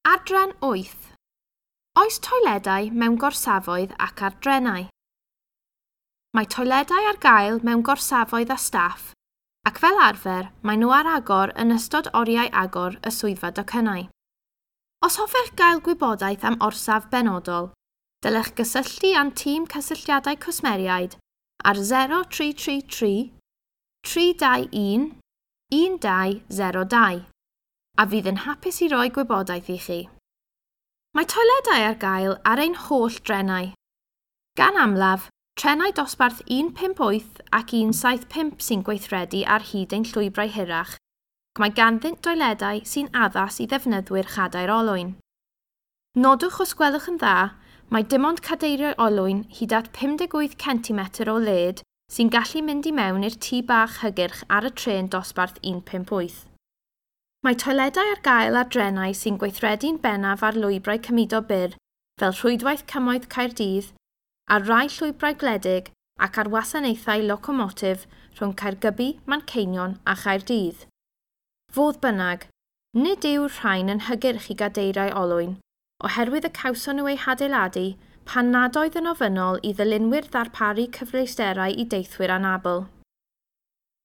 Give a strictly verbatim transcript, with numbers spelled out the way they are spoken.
Adran wyth. Oes toiledau mewn gorsafoedd ac ar drenau? Mae toiledau ar gael mewn gorsafoedd a staff, ac fel arfer maen nhw ar agor yn ystod oriau agor y swyddfa docynnau. Os hoffech gael gwybodaeth am orsaf benodol, dylech gysylltu â'n tîm cysylltiadau cwsmeriaid ar zero tri tri tri tri dau un un dau zero dau, a fydd yn hapus i roi gwybodaeth i chi. Mae toiledau ar gael ar ein holl drenau. Gan amlaf, trenau dosbarth un pump wyth ac un saith pump sy'n gweithredu ar hyd ein llwybrau hirach, ac mae ganddynt doiledau sy'n addas i ddefnyddwyr chadair olwyn. Nodwch os gwelwch yn dda, mae dim ond cadeiriau olwyn hyd at pum deg wyth centimetr o led sy'n gallu mynd i mewn i'r tŷ bach hygyrch ar y trên dosbarth un pump wyth. Mae toiledau ar gael ar drenau sy'n gweithredu'n bennaf ar lwybrau cymudo byr, fel rhwydwaith Cymoedd Caerdydd, ar rai llwybrau gwledig ac ar wasanaethau locomotif rhwng Caergybi, Manceinion a Chaerdydd. Fodd bynnag, nid yw'r rhain yn hygyrch i gadeiriau olwyn, oherwydd y cawson nhw eu hadeiladu pan nad oedd yn ofynnol i ddylunwyr ddarparu cyfleusterau i deithwyr anabl.